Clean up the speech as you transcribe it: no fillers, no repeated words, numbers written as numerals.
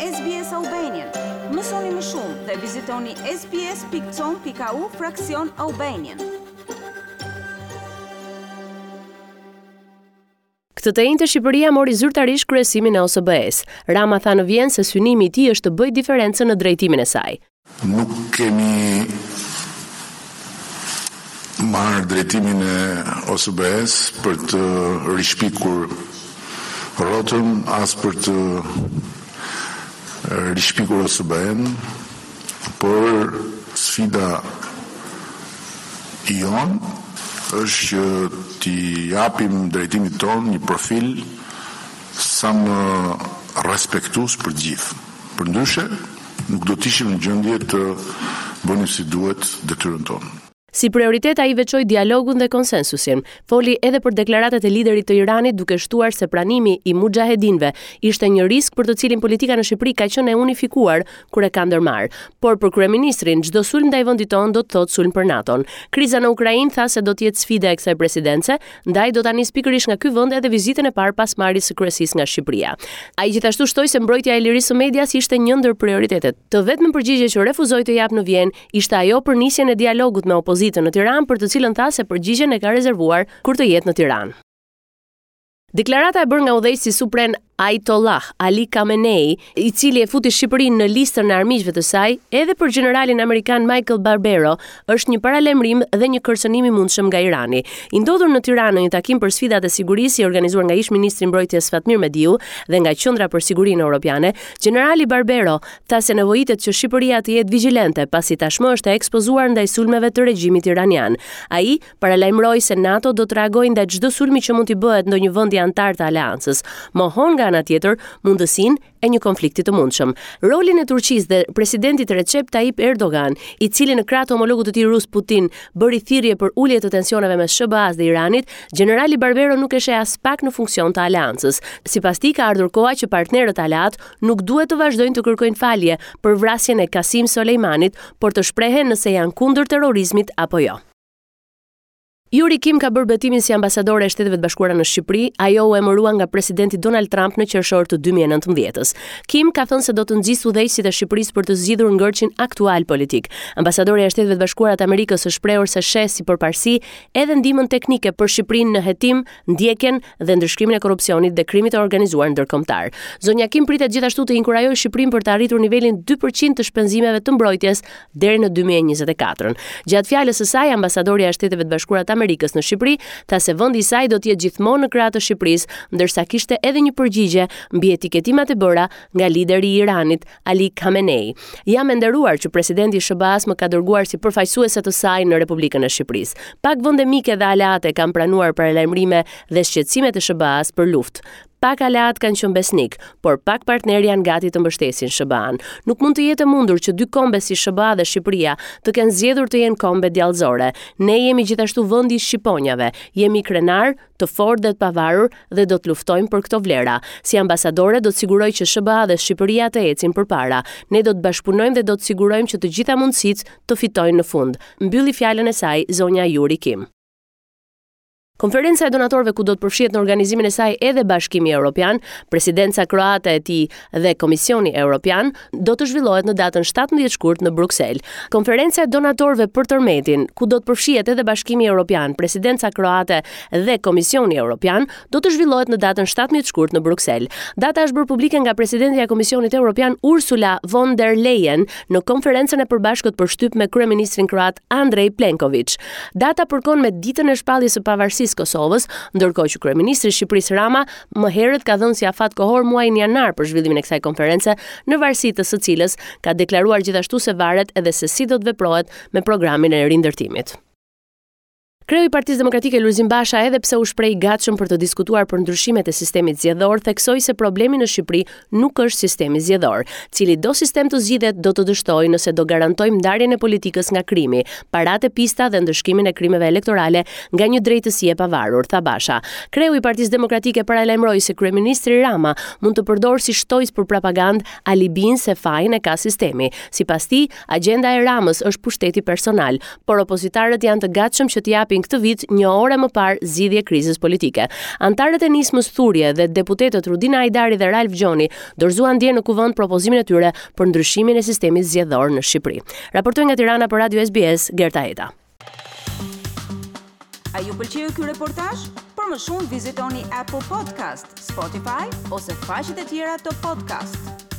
SBS Albanian. Mësoni më shumë dhe vizitoni sbs.com.au fraksion Albanian. Këtë të enjte Shqipëria mori zyrtarisht kryesimin e OSBE-së. Rama tha në Vjenë se synimi i tij është të bëjë diferencën në drejtimin e saj. Nuk kemi marrë drejtimin e OSBE-së për të rishpikur rrotën, as për të rishpikur OSBE-në, por sfida jonë është që t'i japim drejtimit tonë një profil sa më respektues për të gjithë. Përndryshe, nuk do të ishim në gjendje të bënim si duhet detyrën tonë. Si prioritet ai veçoi dialogun dhe konsensusin. Foli edhe për deklaratat e liderit të Iranit duke shtuar se pranimi i muxhahedinëve ishte një risk për të cilin politika në Shqipëri ka qenë e unifikuar kur e ka ndërmarrë. Por për kryeministrin, çdo sulm ndaj vendit tonë do të thotë sulm për NATO-n. Kriza në Ukrainë tha se do të jetë sfida e kësaj presidence, ndaj do ta nisë pikërisht nga ky vend edhe vizitën e parë pas marrjes së kryesisë nga Shqipëria. Ai gjithashtu shtoi se mbrojtja e lirisë së medias ishte një ndër prioritetet. Të vetmen përgjigje që refuzoi të japë në Vjenë ishte ajo për nisjen e dialogut me opozitën në Tiranë, për të cilën tha se përgjigjen e ka rezervuar kur të jetë në Tiranë. Deklarata e bërë nga udhëheqësi suprem Ayatollah Ali Khamenei, i cili e futi Shqipërinë në listën e armiqve të saj, edhe për gjeneralin amerikan Michael Barbero, është një paralajmërim dhe një kërcënim i mundshëm nga Irani. I ndodhur në Tiranë në një takim për sfidat e sigurisë i organizuar nga ish-ministri i Mbrojtjes Fatmir Mediu dhe nga Qendra për Sigurinë Europiane, gjenerali Barbero tha se nevojitet që Shqipëria të jetë vigjilente, pasi tashmë është e ekspozuar ndaj sulmeve të regjimit iranian. Ai paralajmëroi se NATO do të reagojë ndaj çdo sulmi që mund t'i bëhet ndonjë vendi anëtar të aleancës. Mohon nga ana tjetër mundësinë e një konflikti të mundshëm. Rolin e Turqisë dhe presidentit Recep Tayyip Erdogan, i cili në krah të homologut të tij rus Putin bëri thirrje për ulje të tensioneve mes SHBA-së dhe Iranit, gjenerali Barbero nuk e sheh aspak në funksion të aleancës. Sipas tij ka ardhur koha që partnerët aleatë nuk duhet të vazhdojnë të kërkojnë falje për vrasjen e Kasim Soleimanit, por të shprehen nëse janë kundër terrorizmit apo jo. Yuri Kim ka bërë betimin si ambasadore e Shteteve të Bashkuara në Shqipëri. Ajo u emërua nga presidenti Donald Trump në qershor të 2019-ës. Kim ka thënë se do të nxisë udhëheqësit e Shqipërisë për të zgjidhur ngërçin aktual politik. Ambasadorja e Shteteve të Bashkuara të Amerikës është shprehur se sheh si përparësi edhe ndihmën teknike për Shqipërinë në hetim, ndjekjen dhe ndëshkimin e korrupsionit dhe krimit të organizuar ndërkombëtar. Zonja Kim pritet gjithashtu të inkurajojë Shqipërinë për të arritur nivelin 2% të shpenzimeve të mbrojtjes deri në 2024. Gjatë fjalës së saj, ambasadorja e Shteteve të Bashkuara të Amerikës në Shqipëri tha se vendi i saj do të jetë gjithmonë në krah të Shqipërisë, ndërsa kishte edhe një përgjigje mbi etiketimat e bëra nga lideri i Iranit, Ali Khamenei. Jam e nderuar që presidenti i SHBA-së më ka dërguar si përfaqësuese të saj në Republikën e Shqipërisë. Pak vende mike dhe aleate kanë pranuar paralajmërime dhe shqetësimet e SHBA-së për luftë. Pak aleatë kanë qenë besnikë, por pak partnerë janë gati të mbështesin SHBA-në. Nuk mund të jetë e mundur që dy kombe si SHBA dhe Shqipëria të kenë zgjedhur të jenë kombe djallëzore. Ne jemi gjithashtu vendi i shqiponjave. Jemi krenarë, të fortë dhe të pavarur dhe do të luftojmë për këto vlera. Si ambasadore do të siguroj që SHBA dhe Shqipëria të ecin përpara. Ne do të bashkëpunojmë dhe do të sigurojmë që të gjitha mundësitë të fitojnë në fund. Mbylli fjalën e saj zonja Yuri Kim. Konferenca e donatorëve ku do të përfshihet në organizimin e saj edhe Bashkimi Evropian, presidenca kroate e tij dhe Komisioni Evropian, do të zhvillohet në datën 17 shkurt në Bruksel. Konferenca e donatorëve për tërmetin, ku do të përfshihet edhe Bashkimi Evropian, presidenca kroate dhe Komisioni Evropian, do të zhvillohet në datën 17 shkurt në Bruksel. Data është bërë publike nga presidentja e Komisionit Evropian Ursula von der Leyen në konferencën e përbashkët për shtyp me kryeministrin kroat Andrej Plenković. Data përkon me ditën e shpalljes së pavarësisë së Kosovës, ndërkohë që kryeministri i Shqipërisë Rama më herët ka dhënë si afat kohor muajin janar për zhvillimin e kësaj konference, në varësi të së cilës ka deklaruar gjithashtu se varet edhe se si do të veprohet me programin e rindërtimit. Kreu i Partisë Demokratike Lulzim Basha edhe pse u shpreh i gatshëm për të diskutuar për ndryshimet e sistemit zgjedhor, theksoi se problemi në Shqipëri nuk është sistemi zgjedhor. Cilido sistem të zgjidhet do të dështojë nëse do garantojmë ndarjen e politikës nga krimi, paratë e pista dhe ndëshkimin e krimeve elektorale nga një drejtësi e pavarur, tha Basha. Kreu i Partisë Demokratike paralajmëroi se kryeministri Rama mund të përdorë si shtojcë për propagandë alibinë se fajin e ka sistemi. Sipas tij, agjenda e Ramës është pushteti personal, por opozitarët janë të gatshëm që t'i japin japin këtë vit një orë e më parë zgjidhje krizës politike. Anëtarët e nismës Thurje dhe deputetët Rudina Hajdari dhe Ralf Gjoni dorëzuan dje në Kuvend propozimin e tyre për ndryshimin e sistemit zgjedhor në Shqipëri. Raportoi nga Tirana për Radio SBS, Gerta Heta. A ju pëlqeu ky reportazh? Për më shumë vizitoni Apple Podcast, Spotify ose faqet e tjera të podcast.